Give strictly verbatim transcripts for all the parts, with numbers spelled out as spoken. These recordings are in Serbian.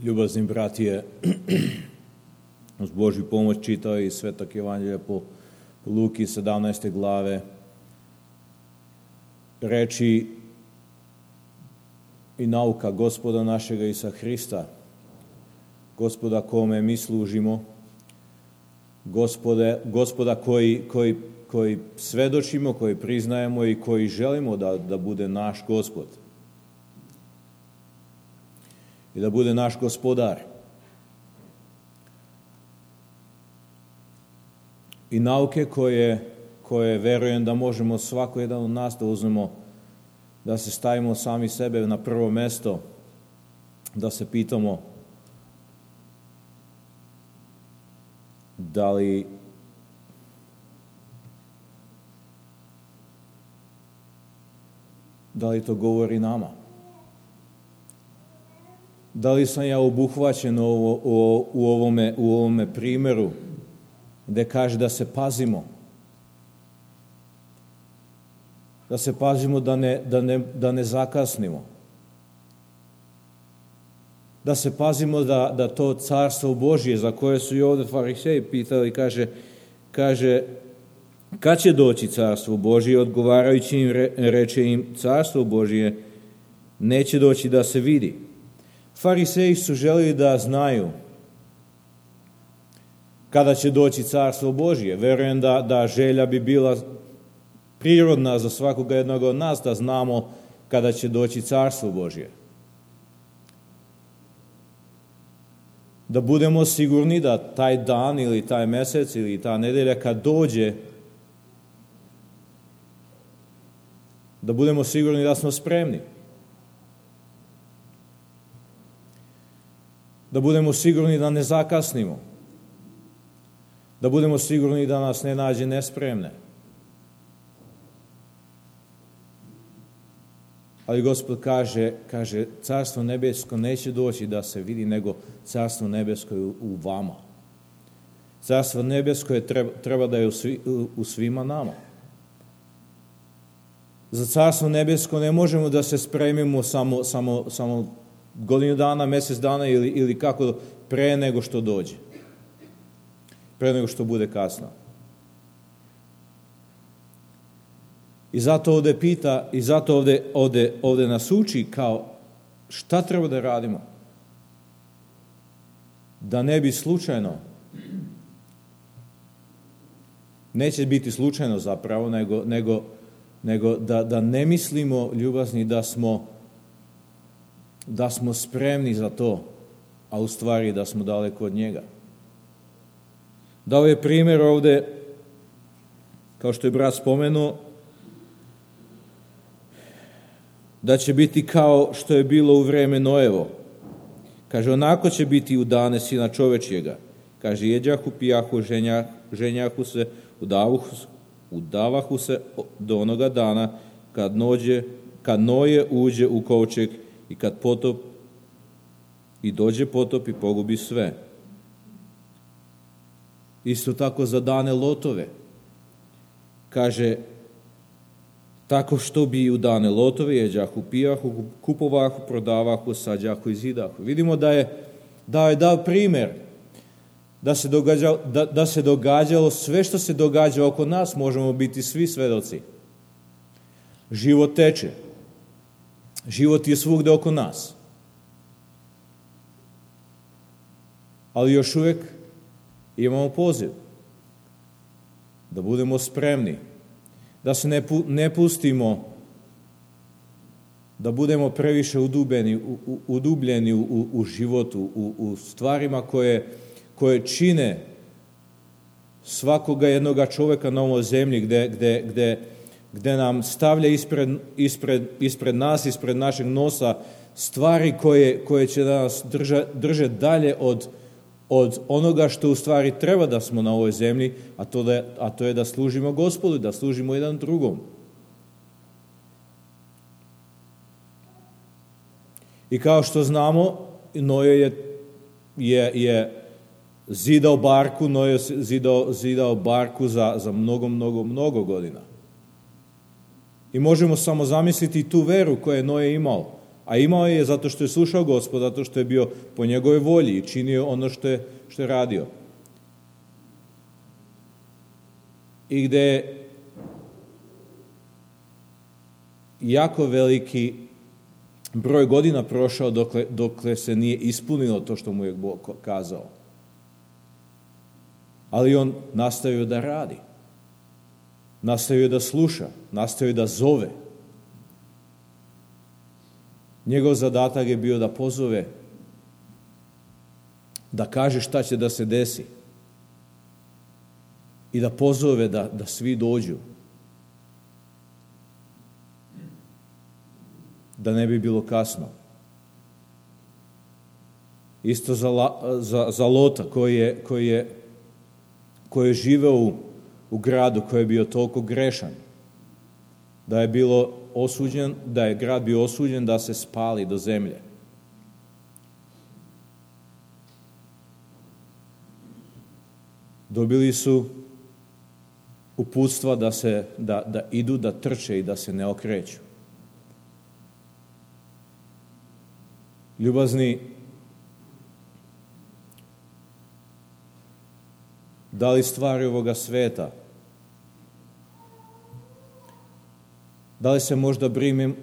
Ljubazni bratije, uz Božju pomoć čitao i Svetog Evanđelja po Luki sedamnaeste glave, reči i nauka Gospoda našega Isusa Hrista, Gospoda kome mi služimo, Gospode, Gospoda koji, koji, koji svedočimo, koji priznajemo i koji želimo da, da bude naš Gospod i da bude naš gospodar. I nauke koje, koje verujem da možemo svako jedan od nas da uzmemo, da se stavimo sami sebe na prvo mesto, da se pitamo da li da li to govori nama? Da li sam ja obuhvaćen u, u, u, ovome, u ovome primjeru gde kaže da se pazimo? Da se pazimo da ne, da ne, da ne zakasnimo. Da se pazimo da, da to carstvo Božje za koje su i ovdje fariseji pitali, kaže, kaže kad će doći carstvo Božje? Odgovarajući im re, reče im, carstvo Božje neće doći da se vidi. Fariseji su želeli da znaju kada će doći carstvo Božje. Verujem da, da želja bi bila prirodna za svakoga jednog od nas da znamo kada će doći carstvo Božje. Da budemo sigurni da taj dan ili taj mesec ili ta nedelja kad dođe, da budemo sigurni da smo spremni. Da budemo sigurni da ne zakasnimo. Da budemo sigurni da nas ne nađe nespremne. Ali Gospod kaže, kaže, carstvo nebesko neće doći da se vidi, nego carstvo nebesko je u vama. Carstvo nebesko je treba, treba da je u, svi, u svima nama. Za carstvo nebesko ne možemo da se spremimo samo, samo, samo godinu dana, mjesec dana ili, ili kako pre nego što dođe. Pre nego što bude kasno. I zato ovdje pita, i zato ovdje, ovdje, ovdje nas uči kao šta treba da radimo. Da ne bi slučajno, neće biti slučajno zapravo, nego, nego, nego da, da ne mislimo, ljubazni, da smo da smo spremni za to, a u stvari da smo daleko od njega. Dao je primjer ovdje, kao što je brat spomenuo, da će biti kao što je bilo u vreme Noevo. Kaže, onako će biti u dane Sina čovečjega. Kaže, jeđahu, pijahu, ženjah, ženjahu se, udavahu, udavahu se do onoga dana kad, nođe, kad Noje uđe u kovčeg i kad potop i dođe potop i pogubi sve. Isto tako za dane Lotove. Kaže, tako što bi u dane Lotove jeđahu, pijahu, kupovahu, prodavahu, sađahu i zidahu. Vidimo da je dao je dao primjer da se, događalo, da, da se događalo sve što se događa oko nas, možemo biti svi svedoci. Život teče. Život je svugde oko nas. Ali još uvijek imamo poziv da budemo spremni, da se ne, pu, ne pustimo, da budemo previše udubljeni, u, u, udubljeni u, u životu, u, u stvarima koje, koje čine svakoga jednoga čovjeka na ovoj zemlji, gde, gde, gde, gde nam stavlja ispred, ispred, ispred nas, ispred našeg nosa stvari koje, koje će da nas drža, drže dalje od od onoga što u stvari treba da smo na ovoj zemlji, a to, da, a to je da služimo Gospodu, da služimo jedan drugom. I kao što znamo, Noje je, je, je zidao barku, Noje je zidao, zidao barku za, za mnogo, mnogo, mnogo godina. I možemo samo zamisliti tu veru koju je Noje imao A imao je zato što je slušao Gospoda, zato što je bio po njegovoj volji i činio ono što je, što je radio. I gde je jako veliki broj godina prošao dokle, dokle se nije ispunilo to što mu je Bog kazao. Ali on nastavio da radi. Nastavio da sluša, nastavio da zove. Njegov zadatak je bio da pozove, da kaže šta će da se desi i da pozove da, da svi dođu. Da ne bi bilo kasno. Isto za, za, za Lota koji je, koji je, koji je živeo u, u gradu koji je bio toliko grešan, da je bilo osuđen, da je grad bio osuđen da se spali do zemlje. Dobili su uputstva da, se, da, da idu, da trče i da se ne okreću. Ljubazni, da li stvari ovoga sveta, da li se možda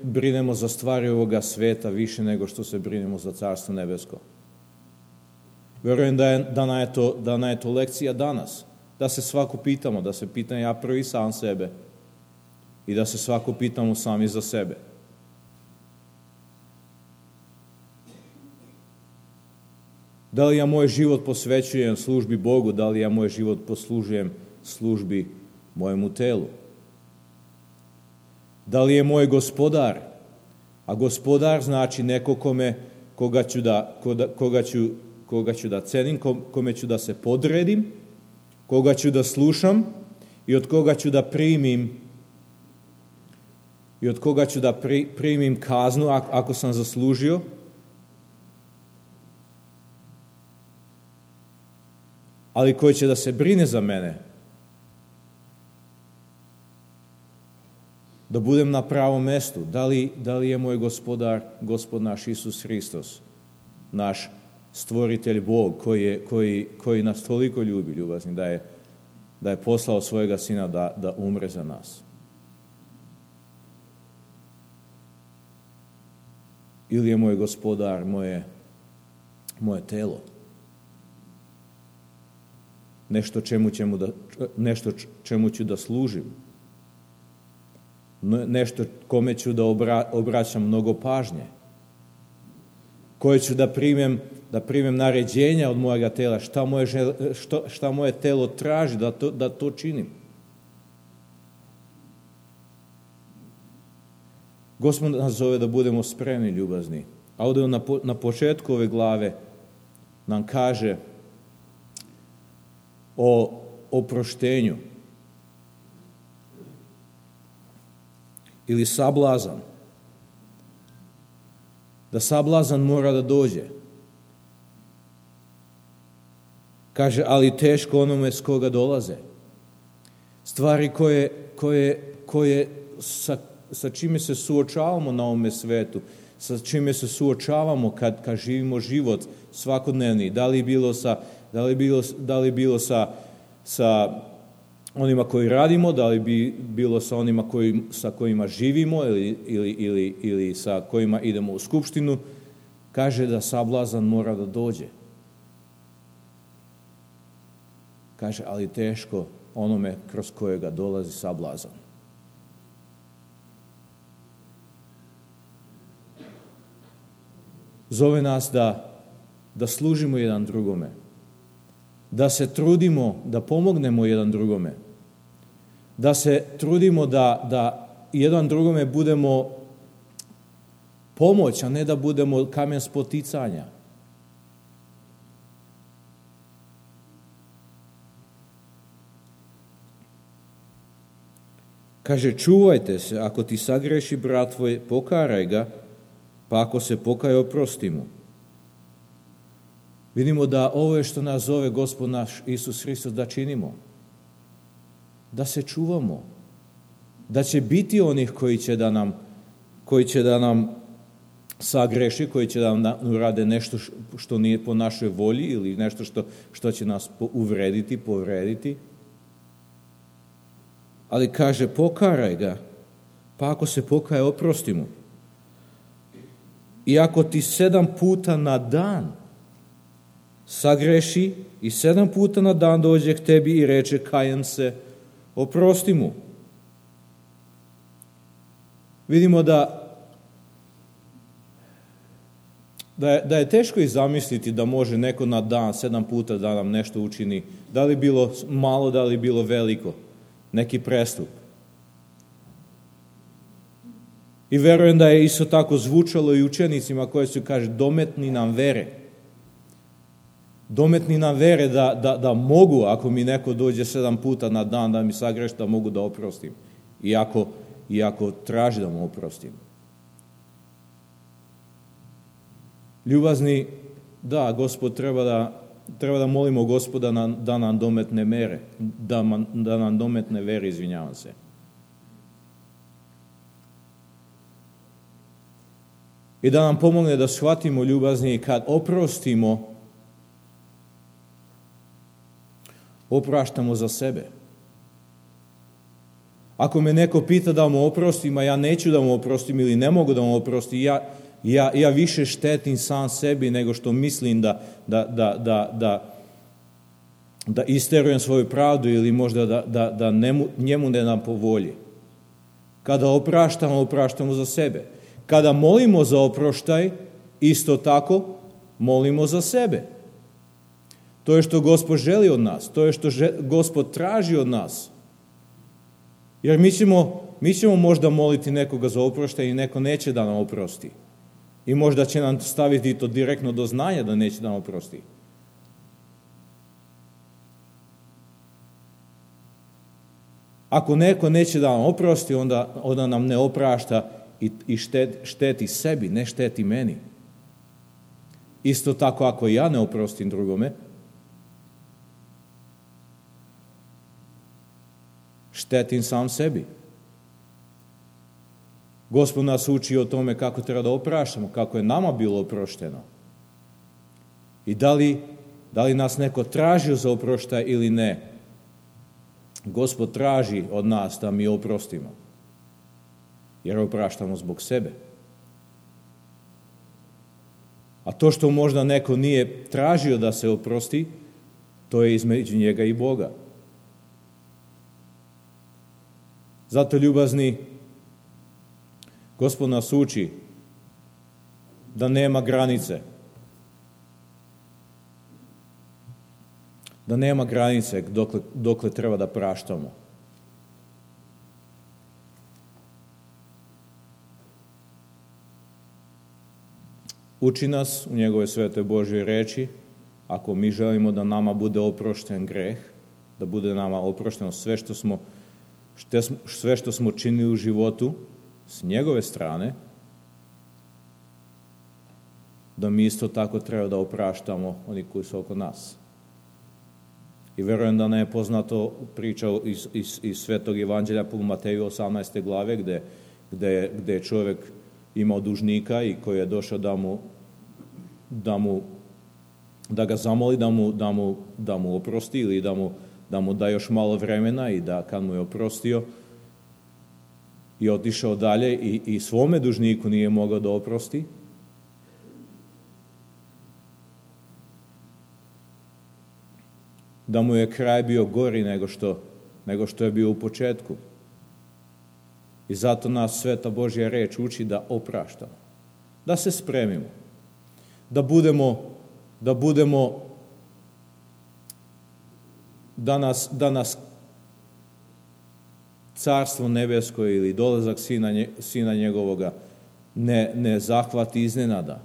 brinemo za stvari ovoga sveta više nego što se brinemo za Carstvo nebesko? Verujem da je, da je, to, da je to lekcija danas, da se svako pitamo, da se pitam ja prvi sam sebe i da se svako pitamo sami za sebe. Da li ja moj život posvećujem službi Bogu, da li ja moj život poslužujem službi mojemu telu? Da li je moj gospodar, a gospodar znači neko kome, koga ću da, koga ću, koga ću da cenim, kome ću da se podredim, koga ću da slušam i od koga ću da primim i od koga ću da pri, primim kaznu ako sam zaslužio. Ali koji će da se brine za mene, da budem na pravom mestu. Da li, da li je moj gospodar, gospod naš Isus Hristos, naš stvoritelj Bog, koji, je, koji, koji nas toliko ljubi, ljubazni, da je, da je poslao svojega sina da, da umre za nas. Ili je moj gospodar, moje, moje telo. Nešto čemu, čemu da, nešto čemu ću da služim. Nešto kome ću da obra, obraćam mnogo pažnje. Koje ću da primem, da primem naređenja od mojega tela. Šta moje, šta, šta moje telo traži da to, da to činim. Gospod nas zove da budemo spremni, ljubazni. A ovdje na, na početku ove glave nam kaže o oproštenju ili sablazan. Da sablazan mora da dođe. Kaže, ali teško onome s koga dolaze. Stvari koje, koje, koje sa, sa čime se suočavamo na ovome svetu, sa čime se suočavamo kad, kad živimo život svakodnevni, da li bilo sa Da li bilo, da li bilo sa, sa onima koji radimo, da li bi bilo sa onima koji, sa kojima živimo ili, ili, ili, ili sa kojima idemo u skupštinu, kaže da sablazan mora da dođe. Kaže, ali teško onome kroz kojega dolazi sablazan. Zove nas da, da služimo jedan drugome. Da se trudimo da pomognemo jedan drugome. Da se trudimo da, da jedan drugome budemo pomoć, a ne da budemo kamen spoticanja. Kaže, čuvajte se, ako ti sagreši brat tvoj, pokaraj ga, pa ako se pokaje, oprosti mu. Vidimo da ovo je što nas zove Gospod naš Isus Hristos da činimo. Da se čuvamo. Da će biti onih koji će da nam, koji će da nam sagreši, koji će da nam urade nešto što nije po našoj volji ili nešto što, što će nas uvrediti, povrediti. Ali kaže, pokaraj ga, pa ako se pokaje, oprosti mu. I ako ti sedam puta na dan sagreši i sedam puta na dan dođe k tebi i reče, kajem se, oprosti mu. Vidimo da Da je, da je teško i zamisliti da može neko na dan, sedam puta da nam nešto učini, da li bilo malo, da li bilo veliko, neki prestup. I verujem da je isto tako zvučalo i učenicima koji su, kaže, dometni nam vere. Dometni nam vere da, da, da mogu, ako mi neko dođe sedam puta na dan da mi sagreši, da mogu da oprostim. Iako, iako traži da mu oprostim. Ljubazni, da, Gospod, treba da, treba da molimo Gospoda na, da nam dometne mere, da, man, da nam dometne vere, izvinjavam se. I da nam pomogne da shvatimo, ljubazni, kad oprostimo, opraštamo za sebe. Ako me neko pita da mu oprostim, a ja neću da mu oprostim ili ne mogu da mu oprostim, ja Ja, ja više štetim sam sebi nego što mislim da, da, da, da, da, da isterujem svoju pravdu ili možda da, da, da nemu, njemu ne dam po volji. Kada opraštamo, opraštamo za sebe. Kada molimo za oproštaj, isto tako molimo za sebe. To je što Gospod želi od nas, to je što Gospod traži od nas. Jer mi ćemo, mi ćemo možda moliti nekoga za oproštaj i neko neće da nam oprosti. I možda će nam staviti to direktno do znanja da neće da nam oprosti. Ako neko neće da nam oprosti, onda, onda nam ne oprašta i, i štet, šteti sebi, ne šteti meni. Isto tako ako ja ne oprostim drugome, štetim sam sebi. Gospod nas uči o tome kako treba da opraštamo, kako je nama bilo oprošteno. I da li, da li nas neko tražio za oproštaj ili ne, Gospod traži od nas da mi oprostimo. Jer opraštamo zbog sebe. A to što možda neko nije tražio da se oprosti, to je između njega i Boga. Zato, ljubazni, Gospod nas uči da nema granice. Da nema granice dokle, dokle treba da praštamo. Uči nas u njegove svetoj Božjoj reči, ako mi želimo da nama bude oprošten greh, da bude nama oprošteno sve što smo, sve što smo činili u životu, s njegove strane, da mi isto tako treba da opraštamo oni koji su oko nas. I verujem da ne je poznato priča iz, iz, iz Svetog Evanđelja po Mateju osamnaeste glave, gde, gde, gde je čovjek imao dužnika i koji je došao da mu, da mu da ga zamoli da mu, da mu, da mu oprosti ili da mu, da mu da još malo vremena i da kad mu je oprostio i otišao dalje i, i svome dužniku nije mogao da oprosti, da mu je kraj bio gori nego što, nego što je bio u početku. I zato nas Sveta Božja reč uči da opraštamo, da se spremimo, da budemo, da budemo, da nas, da nas Carstvo nebesko ili dolazak sina, nje, sina njegovoga ne, ne zahvati iznenada.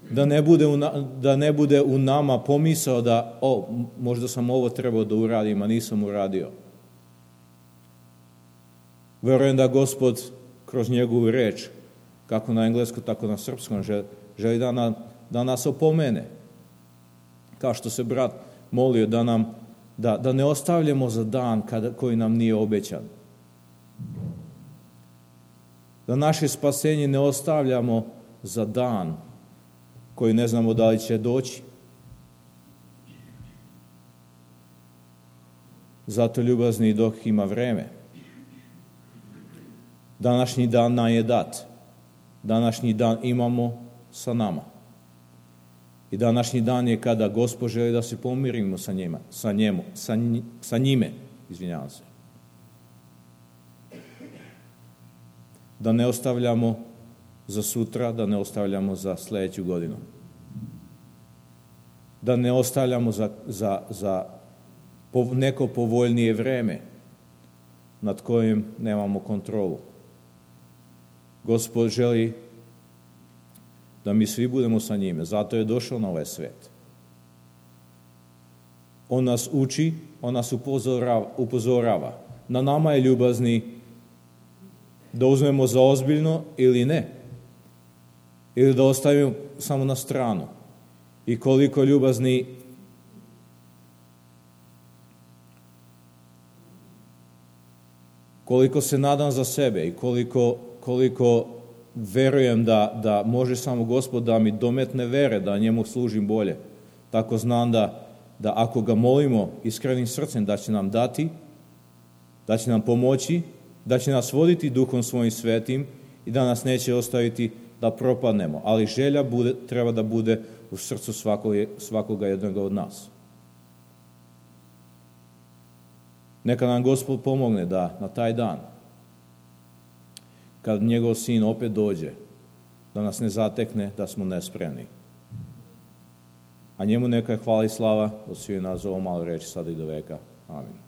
Da ne bude u, da ne bude u nama pomisao da, o, možda sam ovo trebao da uradim, a nisam uradio. Verujem da Gospod kroz njegovu reč, kako na engleskom, tako na srpskom, želi da, na, da nas opomene. Kao što se brat molio da nam, da, da ne ostavljamo za dan kada, koji nam nije obećan. Da naše spasenje ne ostavljamo za dan koji ne znamo da li će doći. Zato ljubazni dok ima vreme. Današnji dan nam je dat. Današnji dan imamo sa nama. I današnji dan je kada Gospod želi da se pomirimo sa njima, sa njemu, sa, nj, sa njime, izvinjavam se. Da ne ostavljamo za sutra, da ne ostavljamo za sljedeću godinu. Da ne ostavljamo za, za, za neko povoljnije vreme nad kojim nemamo kontrolu. Gospod želi da mi svi budemo sa njime, zato je došao na ovaj svet. On nas uči, on nas upozorava, upozorava. Na nama je ljubazni da uzmemo za ozbiljno ili ne. Ili da ostavimo samo na stranu. I koliko ljubazni koliko se nadam za sebe i koliko, koliko verujem da, da može samo Gospod da mi dometne vere, da njemu služim bolje. Tako znam da, da ako ga molimo iskrenim srcem da će nam dati, da će nam pomoći, da će nas voditi Duhom svojim svetim i da nas neće ostaviti da propadnemo. Ali želja bude, treba da bude u srcu svakoga, svakoga jednoga od nas. Neka nam Gospod pomogne da na taj dan, kad njegov sin opet dođe, da nas ne zatekne, da smo nespremni. A njemu neka je hvala i slava od svih nas za ovo malo reći sada i do veka. Amin.